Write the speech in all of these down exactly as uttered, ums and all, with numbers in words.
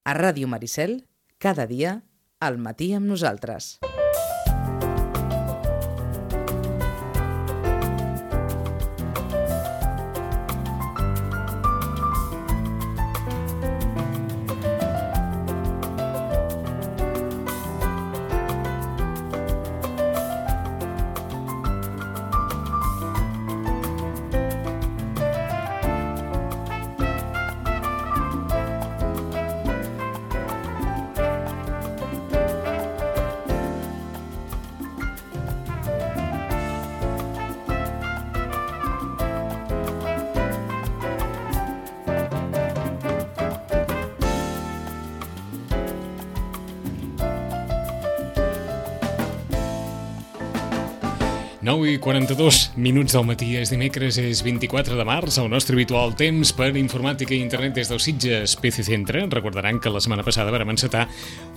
A Ràdio Maricel, cada dia, al matí amb nosaltres. nou i quaranta-dos minuts del matí, és dimecres, és vint-i-quatre de març, el nostre habitual temps per informàtica i internet des del Sitges P C Centre. Recordaran que la setmana passada vam encetar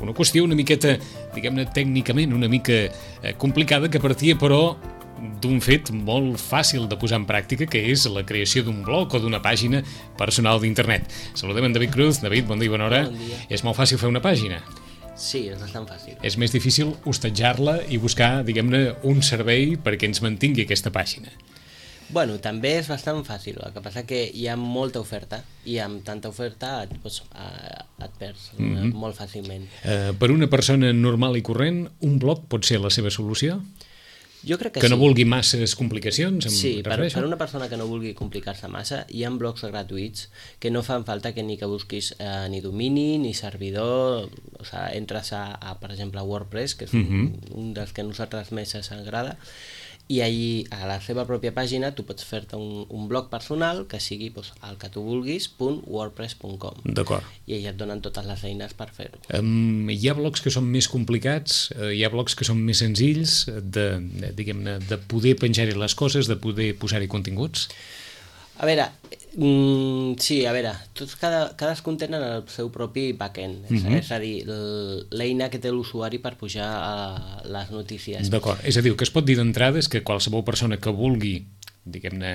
una qüestió una miqueta, diguem-ne, tècnicament una mica eh, complicada, que partia, però, d'un fet molt fàcil de posar en pràctica, que és la creació d'un blog o d'una pàgina personal d'internet. Saludem en David Cruz. David, bon dia i bona hora. Bon dia. És molt fàcil fer una pàgina? Sí, és bastant fàcil. És més difícil hostatjar-la i buscar, diguem-ne, un servei perquè ens mantingui aquesta pàgina. Bueno, també és bastant fàcil, el que passa que hi ha molta oferta i amb tanta oferta et, doncs, et perds mm-hmm. molt fàcilment. Uh, per una persona normal i corrent, un blog pot ser la seva solució? Jo crec que, que sí. no vulgui masses complicacions? Sí, per, per una persona que no vulgui complicar-se massa, hi ha blogs gratuïts que no fan falta que ni que busquis eh, ni domini, ni servidor. O sigui, entres a, a, per exemple, a WordPress, que és un, mm-hmm. un dels que a nosaltres més ens agrada, i allí, a la seva pròpia pàgina, tu pots fer-te un, un blog personal que sigui doncs, el que tu vulguis, .wordpress punt com. D'acord. I allà et donen totes les eines per fer-ho. Um, hi ha blogs que són més complicats, uh, hi ha blogs que són més senzills de, de, diguem-ne, de poder penjar-hi les coses, de poder posar-hi continguts? A veure, mm, sí, a veure, tots cada, cadascun tenen el seu propi backend, mm-hmm. és a dir, l'eina que té l'usuari per pujar a les notícies. D'acord, és a dir, el que es pot dir d'entrada és que qualsevol persona que vulgui, diguem-ne,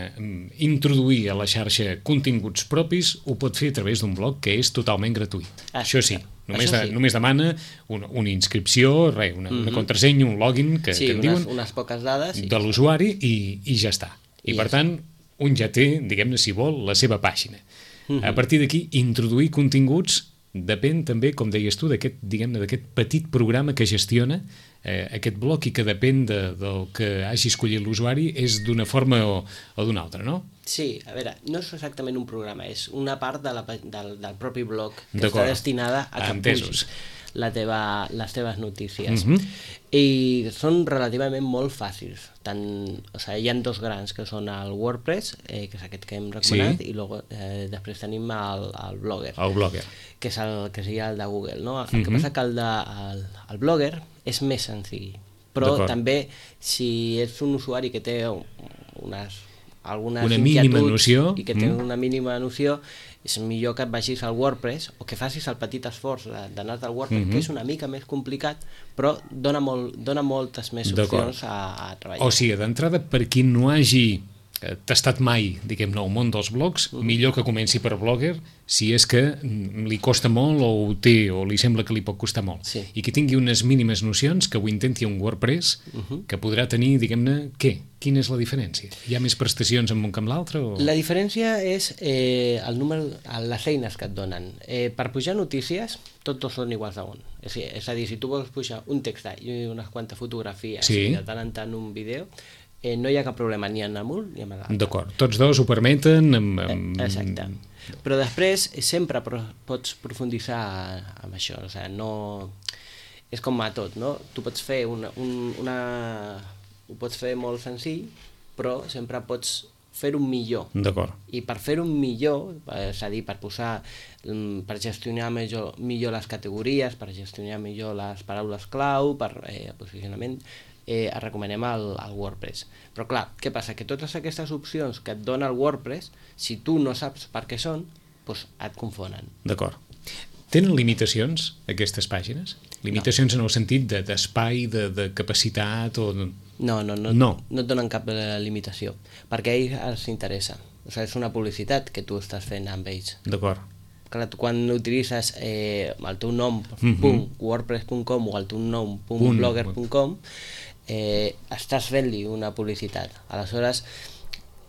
introduir a la xarxa continguts propis ho pot fer a través d'un blog que és totalment gratuït. Ah, Això sí. Només, Això sí. de, només demana una, una inscripció, res, una, mm-hmm. una contrasenya, un login que, sí, que en unes, diuen unes poques dades sí. de l'usuari i, i ja està. I, I per ja tant, està. Un ja té, diguem-ne, si vol, la seva pàgina. Mm-hmm. A partir d'aquí, introduir continguts depèn també, com deies tu, d'aquest, diguem-ne, d'aquest petit programa que gestiona eh, aquest blog i que depèn de, del que hagi escollit l'usuari, és d'una forma o, o d'una altra, no? Sí, a veure, no és exactament un programa, és una part de la, del, del propi blog que està destinada a que pugis la teva, les teves notícies. Mm-hmm. I són relativament molt fàcils. Tant, o sigui, hi ha dos grans, que són el WordPress, eh, que és aquest que hem recomanat, sí. i logo, eh, després tenim el, el Blogger, el Blogger, que és el que seria el de Google, no? El mm-hmm. que passa que el, de, el, el Blogger és més senzill, però també si ets un usuari que té unes, algunes una mínima noció i que té mm. una mínima noció, és millor que et vagis al WordPress o que facis el petit esforç d'anar al WordPress, mm-hmm. que és una mica més complicat, però dona, molt, dona moltes més opcions a, a treballar. O sigui, d'entrada, per qui no hagi tastat mai, diguem-ne, el món dels blogs, mm-hmm. millor que comenci per Blogger, si és que li costa molt o ho té, o li sembla que li pot costar molt. Sí. I que tingui unes mínimes nocions, que ho intenti un WordPress, mm-hmm. que podrà tenir, diguem-ne, què? Quina és la diferència? Hi ha més prestacions en un que en l'altre? O... La diferència és eh, el número, les eines que et donen. Eh, per pujar notícies, tots són iguals a un. És, és a dir, si tu vols pujar un text i unes quantes fotografies sí. i de tant en tant un vídeo, eh, no hi ha cap problema ni en un ni en l'altre. D'acord, tots dos ho permeten. Amb, amb... Eh, exacte. Però després sempre pots profunditzar amb això. O sigui, no... És com a tot, no? Tu pots fer una... Un, una... ho pots fer molt senzill, però sempre pots fer-ho millor. D'acord. I per fer-ho millor, és a dir, per posar, per gestionar millor, millor les categories, per gestionar millor les paraules clau, per eh, posicionament, eh, recomanem el, el WordPress. Però clar, què passa? Que totes aquestes opcions que et dona el WordPress, si tu no saps per què són, doncs et confonen. D'acord. Tenen limitacions, aquestes pàgines? Limitacions no. en el sentit d'espai, de, de capacitat o... No, no, no, no. no et donen cap limitació, perquè a ells els interessa. O sigui, és una publicitat que tu estàs fent amb ells. D'acord. clar, tu quan utilitzes eh, el teu nom Mhm. punt wordpress punt com o el teu nom punt blogger punt com, eh, estàs fent-li una publicitat. Aleshores,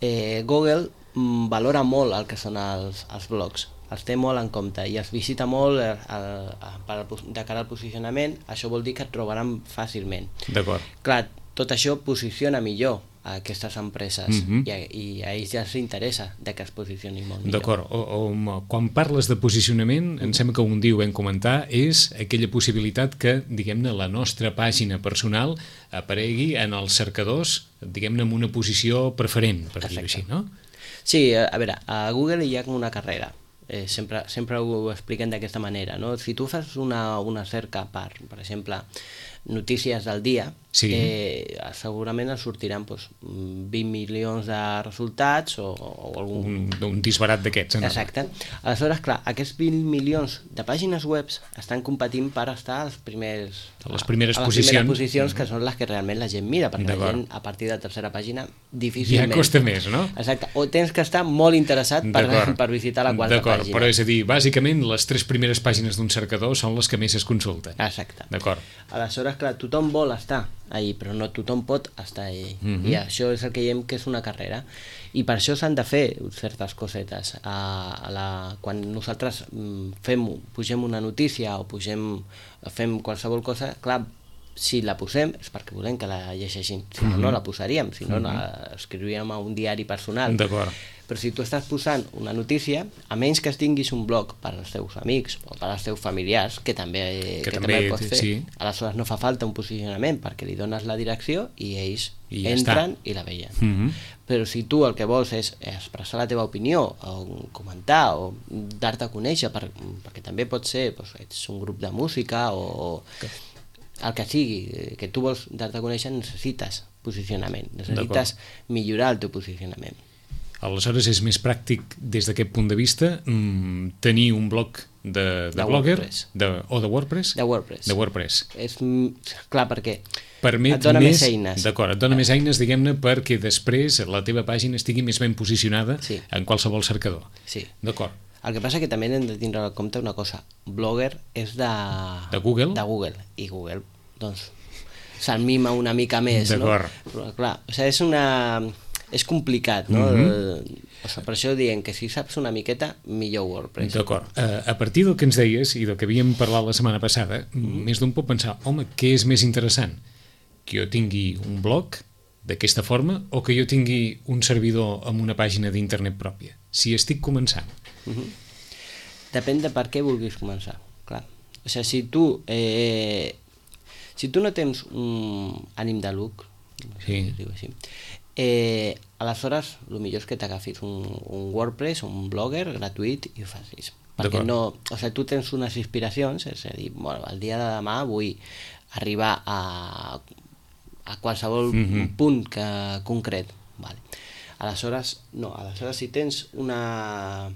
eh, Google mm, valora molt el que són els, els blogs, els té molt en compte i els visita molt el, el, el, per al, de cara al posicionament. Això vol dir que et trobaran fàcilment. D'acord. Clar, tot això posiciona millor a aquestes empreses Mhm. i, a, i a ells ja els interessa de que es posicionin molt millor. D'acord, o, o, quan parles de posicionament, em sembla que un dia ho vam comentar, és aquella possibilitat que, diguem-ne, la nostra pàgina personal aparegui en els cercadors, diguem-ne, en una posició preferent, per dir-ho així, no? Sí, a, a veure, a Google hi ha com una carrera. Eh, sempre, sempre ho expliquen d'aquesta manera, no? Si tu fas una, una cerca per, per exemple, notícies del dia, sí. eh, segurament ens sortiran doncs, vint milions de resultats o, o algun... Un, un disbarat d'aquests. No? Exacte. Aleshores, clar, aquests vint milions de pàgines web estan competint per estar als primers, a les primeres a les posicions, primeres posicions que són les que realment la gent mira, perquè la gent a partir de la tercera pàgina difícilment... Ja costa més, no? Exacte. O tens que estar molt interessat per, per visitar la quarta pàgina. D'acord, però és a dir, bàsicament les tres primeres pàgines d'un cercador són les que més es consulten. Exacte. D'acord. Aleshores, clar, tothom vol estar ahí, però no tothom pot estar ahí. Mm-hmm. I això és el que diem que és una carrera. I per això s'han de fer certes cosetes. A, a la, quan nosaltres fem, pugem una notícia o pugem, fem qualsevol cosa, clar, si la posem és perquè volem que la llegeixin, si no, mm-hmm. no la posaríem, si no, mm-hmm. la escriuríem a un diari personal. D'acord. Però si tu estàs posant una notícia, a menys que tinguis un blog per als teus amics o per als teus familiars, que també, que que també, també pots fer, sí. aleshores no fa falta un posicionament perquè li dones la direcció i ells I ja entren està. i la veien. Mm-hmm. Però si tu el que vols és expressar la teva opinió o comentar o dar-te a conèixer, per, perquè també pot ser, doncs, ets un grup de música o que... el que sigui, que tu vols dar-te a conèixer, necessites posicionament, necessites millorar el teu posicionament. Aleshores és més pràctic des d'aquest punt de vista mmm, tenir un blog de, de, de blogger de, o de WordPress? De WordPress. De WordPress. És, clar, perquè Permet et dona més, més eines. D'acord, et dona més eines, diguem-ne, perquè després la teva pàgina estigui més ben posicionada sí. en qualsevol cercador. Sí. D'acord. El que passa que també hem de tindre en compte una cosa. Blogger és de... De Google? De Google. I Google, doncs, se'l mima una mica més, no? D'acord. Però, clar, o sigui, és una... és complicat, no? Mm-hmm. O sigui, per això diem que si saps una miqueta, millor WordPress. D'acord. Uh, a partir del que ens deies i del que havíem parlat la setmana passada, mm-hmm. més d'un pot pensar, home, què és més interessant? Que jo tingui un blog d'aquesta forma o que jo tingui un servidor amb una pàgina d'internet pròpia? Si estic començant. Mm-hmm. Depèn de per què vulguis començar, clar. O sigui, si tu, eh, si tu no tens un ànim de lucre, sí. si diu així, Eh, aleshores el millor és que t'agafis un, un WordPress, un blogger gratuït i ho facis, perquè no, o sigui, tu tens unes inspiracions, és a dir, bueno, el dia de demà vull arribar a, a qualsevol mm-hmm. punt que, concret, vale. Aleshores, no, aleshores si tens una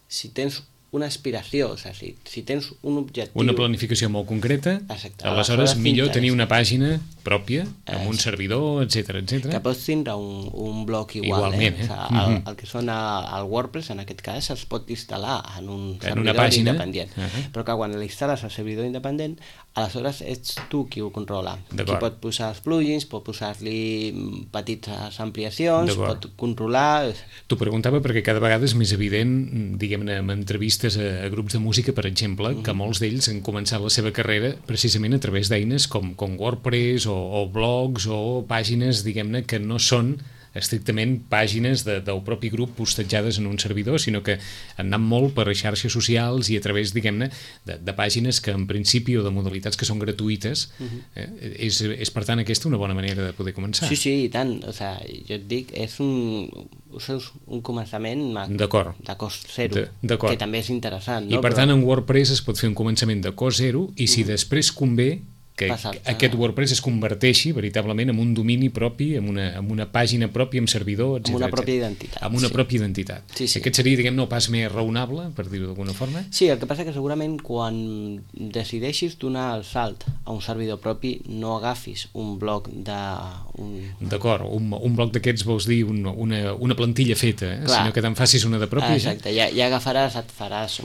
si tens una aspiració, o sigui, si, si tens un objectiu... Una planificació molt concreta, exacte. Aleshores, aleshores millor tenir una pàgina pròpia, amb un servidor, etcètera, etcètera. Que pots tindre un, un blog igual, igualment, eh? eh? O sigui, el, el que són el WordPress, en aquest cas, es pot instal·lar en un en servidor pàgina independent. Uh-huh. Però que quan l'instal·les al servidor independent, aleshores ets tu qui ho controla. Qui pot posar els plugins, pot posar-li petites ampliacions, pot controlar... T'ho preguntava perquè cada vegada és més evident, diguem-ne, amb entrevistes a, a grups de música, per exemple, uh-huh. que molts d'ells han començat la seva carrera precisament a través d'eines com, com WordPress o, o blogs o pàgines, diguem-ne, que no són estrictament pàgines de, del propi grup hostatjades en un servidor, sinó que han anat molt per xarxes socials i a través, diguem-ne, de, de pàgines que en principi o de modalitats que són gratuïtes. Uh-huh. eh, és, és, per tant, aquesta una bona manera de poder començar. Sí, sí, i tant. O sigui, jo et dic, és un, és un començament de cost zero, de, que també és interessant. No? I per Però... tant, en WordPress es pot fer un començament de cost zero i si uh-huh. després convé, que aquest WordPress es converteixi veritablement en un domini propi, en una, en una pàgina pròpia, amb servidor, etcètera. Amb una pròpia identitat. Amb una sí. pròpia identitat. Sí, sí. Aquest seria, diguem-ne, el pas més raonable, per dir-ho d'alguna forma? Sí, el que passa que segurament quan decideixis donar el salt a un servidor propi no agafis un bloc de... Un... D'acord, un, un bloc d'aquests vols dir un, una, una plantilla feta, eh? Sinó que te'n facis una de pròpia. Exacte, ja, ja agafaràs, et faràs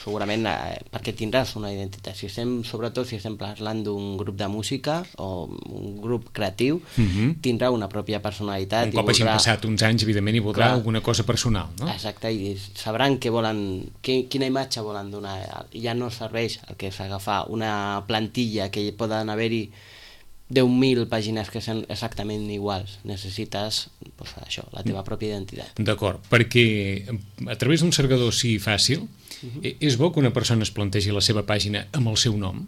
segurament eh, perquè tindràs una identitat. Si estem, sobretot si estem parlant d'un grup de música o un grup creatiu, uh-huh. tindrà una pròpia personalitat. Un cop hagin voldrà... passat uns anys, evidentment, hi voldrà Clar. alguna cosa personal, no? Exacte, i sabran què volen, què, quina imatge volen donar. Ja no serveix el que és agafar una plantilla que poden haver-hi deu mil pàgines que són exactament iguals. Necessites pues, això, la teva pròpia identitat. D'acord, perquè a través d'un cercador així fàcil, uh-huh. és bo que una persona es plantegi la seva pàgina amb el seu nom?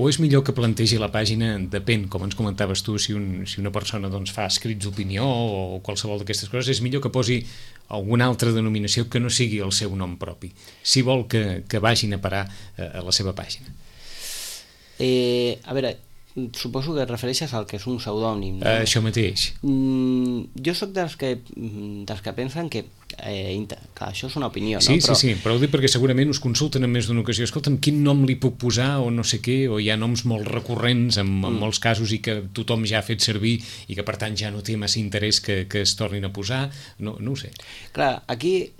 O és millor que plantegi la pàgina, depèn, com ens comentaves tu, si, un, si una persona doncs, fa escrits d'opinió o qualsevol d'aquestes coses, és millor que posi alguna altra denominació que no sigui el seu nom propi, si vol que, que vagin a parar a la seva pàgina. Eh, a veure, suposo que et refereixes al que és un pseudònim, no? Uh, això mateix. Mm, jo sóc dels que, dels que pensen que, eh, que això és una opinió, sí, no? Però... Sí, sí, però ho dic perquè segurament us consulten en més d'una ocasió. Escolta'm, quin nom li puc posar o no sé què, o hi ha noms molt recurrents en, en mm. molts casos i que tothom ja ha fet servir i que per tant ja no té massa interès que, que es tornin a posar, no, no ho sé. Clar, aquí...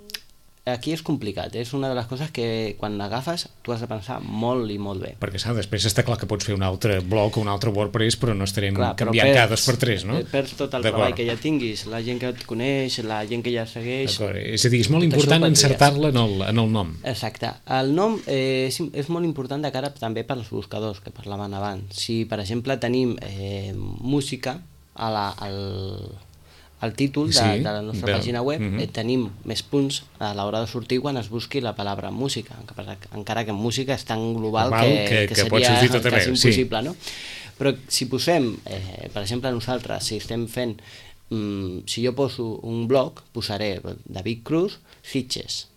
Aquí és complicat, és una de les coses que quan l'agafes tu has de pensar molt i molt bé. Perquè saps, després està clar que pots fer un altre blog o un altre WordPress, però no estarem clar, canviant perds, cada dos per tres, no? Perds tot el treball que ja tinguis, la gent que et coneix, la gent que ja segueix... D'acord, és a dir, és molt important encertar-la en, el, en el nom. Exacte, el nom eh, és, és molt important de cara també pels buscadors que parlaven abans. Si, per exemple, tenim eh, música a la... Al... al títol de, sí, de la nostra bé. pàgina web, uh-huh. eh, tenim més punts a l'hora de sortir quan es busqui la paraula música, encara que en música és tan global Normal, que, que, que, que seria tot quasi impossible, sí. no? Però si posem, eh, per exemple nosaltres, si estem fent, mm, si jo poso un blog, posaré David Cruz, Sitges.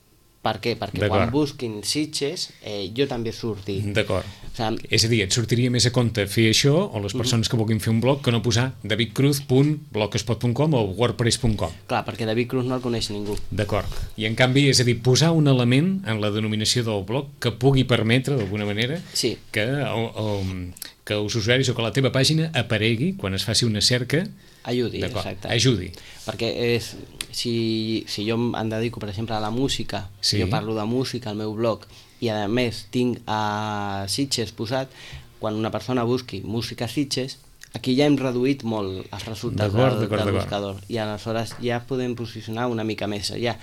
Per què? Perquè quan busquin Sitges, eh, jo també surti. D'acord. O sigui, és a dir, et sortiria més a compte fer això, o les persones uh-huh. que vulguin fer un blog, que no posar davidcruz punt blogspot punt com o wordpress punt com. Clar, perquè David Cruz no el coneix ningú. D'acord. I en canvi, és a dir, posar un element en la denominació del blog que pugui permetre, d'alguna manera, sí. que, o, o, que els usuaris o que la teva pàgina aparegui quan es faci una cerca. Ajudi, exacte. Ajudi. Perquè és, si, si jo em dedico, per exemple, a la música, sí. jo parlo de música al meu blog, i a més tinc a Sitges posat, quan una persona busqui música Sitges, aquí ja hem reduït molt els resultats del, del buscador, i aleshores ja podem posicionar una mica més. Ja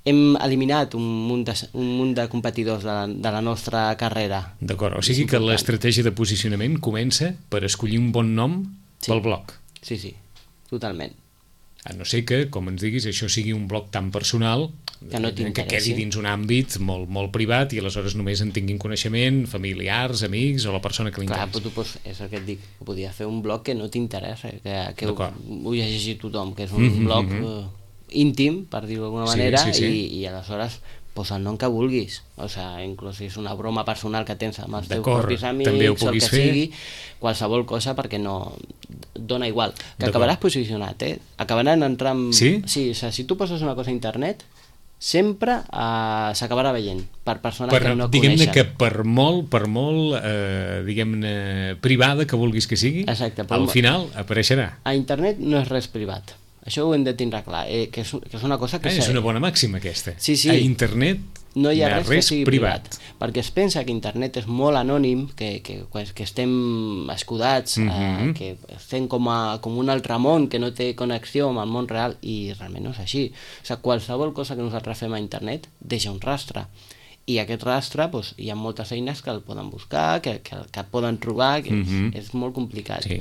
hem eliminat un munt de, un munt de competidors de la, de la nostra carrera. D'acord, o sigui que l'estratègia de posicionament comença per escollir un bon nom sí. pel blog. Sí, sí. Totalment. A no ser que, com ens diguis, això sigui un blog tan personal que, no que quedi dins un àmbit molt, molt privat i aleshores només en tinguin coneixement familiars, amics o la persona que li interessa. Clar, però tu pots, és el que et dic, podia fer un blog que no t'interessa, que, que ho, ho llegeixi tothom, que és un mm-hmm. blog uh, íntim, per dir-ho d'alguna manera, sí, sí, sí. I, i aleshores posa el nom que vulguis, o sigui, inclús si és una broma personal que tens amb els teus propis amics, o el que fer. sigui, qualsevol cosa, perquè no dona igual, que acabaràs posicionat, eh? Acabaran entrant... Sí? Sí, o sigui, si tu poses una cosa a internet, sempre uh, s'acabarà veient per persones per, que no diguem-ne coneixen. Que per molt, per molt eh, diguem-ne, privada que vulguis que sigui, exacte, al final apareixerà. A internet no és res privat. Això ho hem de tindre clar, eh, que, és, que és una cosa que... Eh, és una bona màxima aquesta. Sí, sí. A internet no hi ha res, res que sigui privat. privat. Perquè es pensa que internet és molt anònim, que, que, que estem escudats, mm-hmm. eh, que estem com, a, com un altre món que no té connexió amb el món real, i realment no és així. O sigui, qualsevol cosa que nosaltres fem a internet deixa un rastre. I aquest rastre, doncs, hi ha moltes eines que el poden buscar, que, que, que el poden trobar, que mm-hmm. és, és molt complicat. Sí.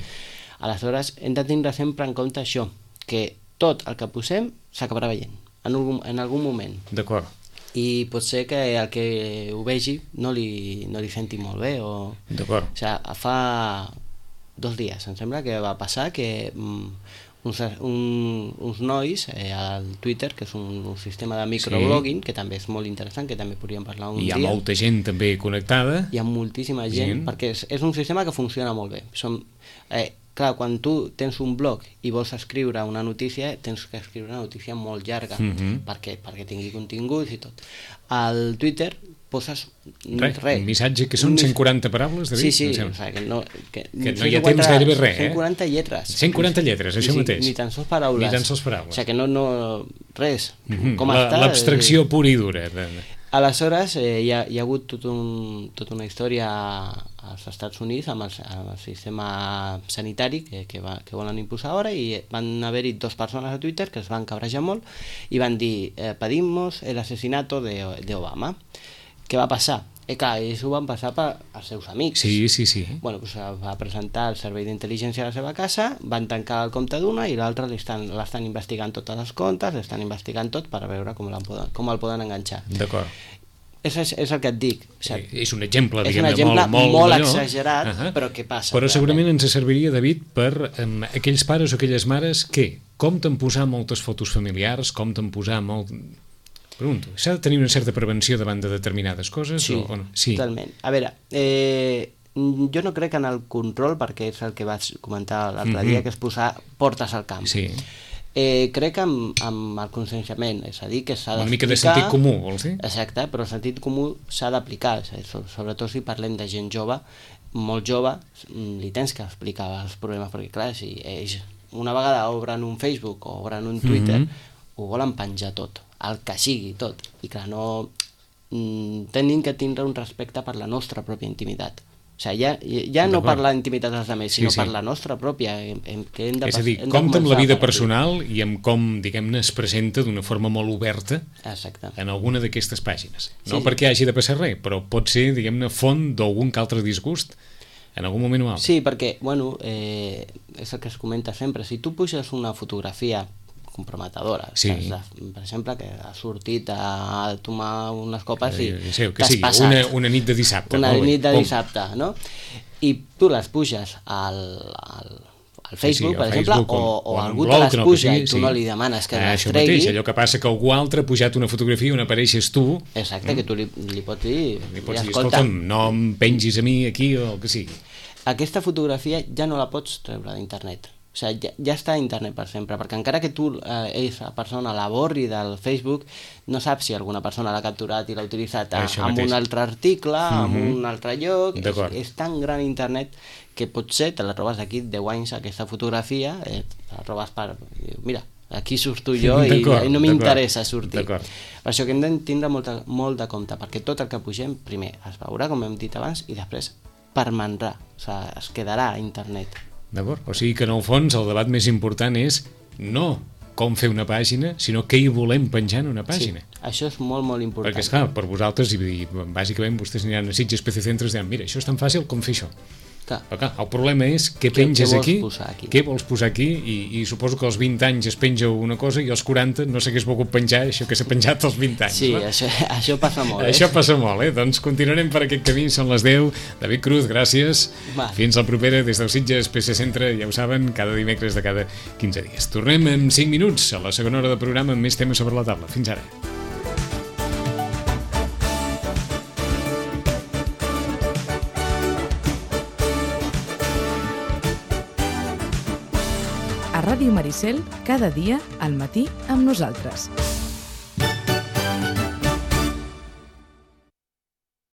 Aleshores, hem de tindre sempre en compte això, que tot el que posem s'acabarà veient en algun, en algun moment. D'acord. I pot ser que el que ho vegi no li, no li senti molt bé. O... D'acord. O sigui, fa dos dies, em sembla que va passar que mm, uns, un, uns nois eh, al Twitter, que és un, un sistema de microblogging, sí. que també és molt interessant, que també podríem parlar un dia. Hi ha molta gent també connectada. Hi ha moltíssima gent, gent. perquè és, és un sistema que funciona molt bé. Som, eh, clar, quan tu tens un blog i vols escriure una notícia, tens que escriure una notícia molt llarga, uh-huh. perquè, perquè tingui continguts i tot. Al Twitter poses res, res. Un missatge que són cent quaranta paraules, David? Sí, sí, o sigui, que no, que que no hi ha temps gairebé res, eh? cent quaranta lletres. cent quaranta lletres, això sí, mateix. Ni tan sols paraules. Ni tan sols paraules. O sigui, que no, no res. Uh-huh. Com està... L'abstracció pura i dura. Aleshores, eh, hi, ha, hi ha hagut tot un, tota una història als Estats Units amb el, amb el sistema sanitari que, que, va, que volen imposar ara, i van haver-hi dos persones a Twitter que es van cabrejar molt i van dir eh, pedimos el asesinato de, de Obama. Què va passar? Eh, clar, ells ho van passar per als seus amics. Sí, sí, sí. Bueno, doncs va presentar el servei d'intel·ligència a la seva casa, van tancar el compte d'una i l'altra l'estan investigant totes les comptes, l'estan investigant tot per veure com, poden, com el poden enganxar. D'acord. És, és, és el que et dic. O sigui, és un exemple, és diguem-ne, un exemple molt, molt, molt allò. exagerat, uh-huh. però què passa? Però segurament realment? ens serviria, David, per um, aquells pares o aquelles mares que compten posar moltes fotos familiars, compten posar molt... Pregunto, s'ha de tenir una certa prevenció davant de determinades coses? Sí, o, o no? Sí, totalment. A veure, eh, jo no crec en el control, perquè és el que vaig comentar l'altre mm-hmm. dia, que és posar portes al camp. Sí. Eh, crec en, en el conscienciament, és a dir, que s'ha d'explicar... Una mica de sentit comú, vols dir? Exacte, però el sentit comú s'ha d'aplicar, sobretot si parlem de gent jove, molt jove, li tens que explicar els problemes, perquè clar, si ells una vegada obren un Facebook o obren un Twitter, mm-hmm. ho volen penjar tot, el que sigui, tot. I clar, no... tenim que tindre un respecte per la nostra pròpia intimitat. O sigui, ja, ja no per la intimitat dels altres, sinó sí, sí. per la nostra pròpia. Hem, que hem de, és a dir, hem compta amb la vida personal i amb com, diguem-ne, es presenta d'una forma molt oberta Exacte. en alguna d'aquestes pàgines. No sí, perquè sí. hagi de passar res, però pot ser, diguem-ne, font d'algun que altre disgust en algun moment o altre. Sí, perquè, bueno, eh, és el que es comenta sempre. Si tu puges una fotografia comprometedora, sí. de, per exemple, que ha sortit a tomar unes copes i eh, sí, que t'has sigui, passat. Una, una nit de dissabte. Una no? nit de Com? dissabte, no? I tu les puges al, al, al Facebook, sí, sí, per exemple, Facebook, o, o, o o algú blog, te les no, puja sigui, i tu sí. no li demanes que ah, les això tregui. Mateix, allò que passa que algú altre ha pujat una fotografia on apareixes tu. Exacte, mm. que tu li, li pots dir... Li pots dir, escolta, escolta'm, no em pengis a mi aquí o el que sigui. Aquesta fotografia ja no la pots treure d'internet. O sigui, ja, ja està a internet per sempre, perquè encara que tu, eh, esa persona la borri del Facebook, no saps si alguna persona l'ha capturat i l'ha utilitzat a, amb un altre article, mm-hmm. en un altre lloc. És, és tan gran internet que potser te la trobes d'aquí deu anys, aquesta fotografia, eh, te la trobes per... Mira, aquí surto jo i, i no m'interessa sortir. Per això que hem de tindre molt, molt de compte, perquè tot el que pugem, primer, es veurà, com hem dit abans, i després permanrà, o sigui, es quedarà a internet. D'acord? O sigui que en el fons el debat més important és no com fer una pàgina, sinó què hi volem penjar en una pàgina. Sí, això és molt, molt important. Perquè, esclar, per vosaltres, i bàsicament vostès aniran a Sitges P C Centres i diran, mira, això és tan fàcil com fer això. Clar. Però, clar, el problema és què penges què, aquí, aquí, què vols posar aquí, i, i suposo que als vint anys es penja una cosa i als quaranta no s'hagués volgut penjar això que s'ha penjat als vint anys. Sí, no? això, això passa molt. Eh? Això passa molt, eh? Doncs continuarem per aquest camí, són les deu. David Cruz, gràcies. Va. Fins al propera des del Sitges P C Centre, ja ho saben, cada dimecres de cada quinze dies. Tornem en cinc minuts a la segona hora de programa amb més temes sobre la taula. Fins ara. A Ràdio Maricel, cada dia al matí amb nosaltres.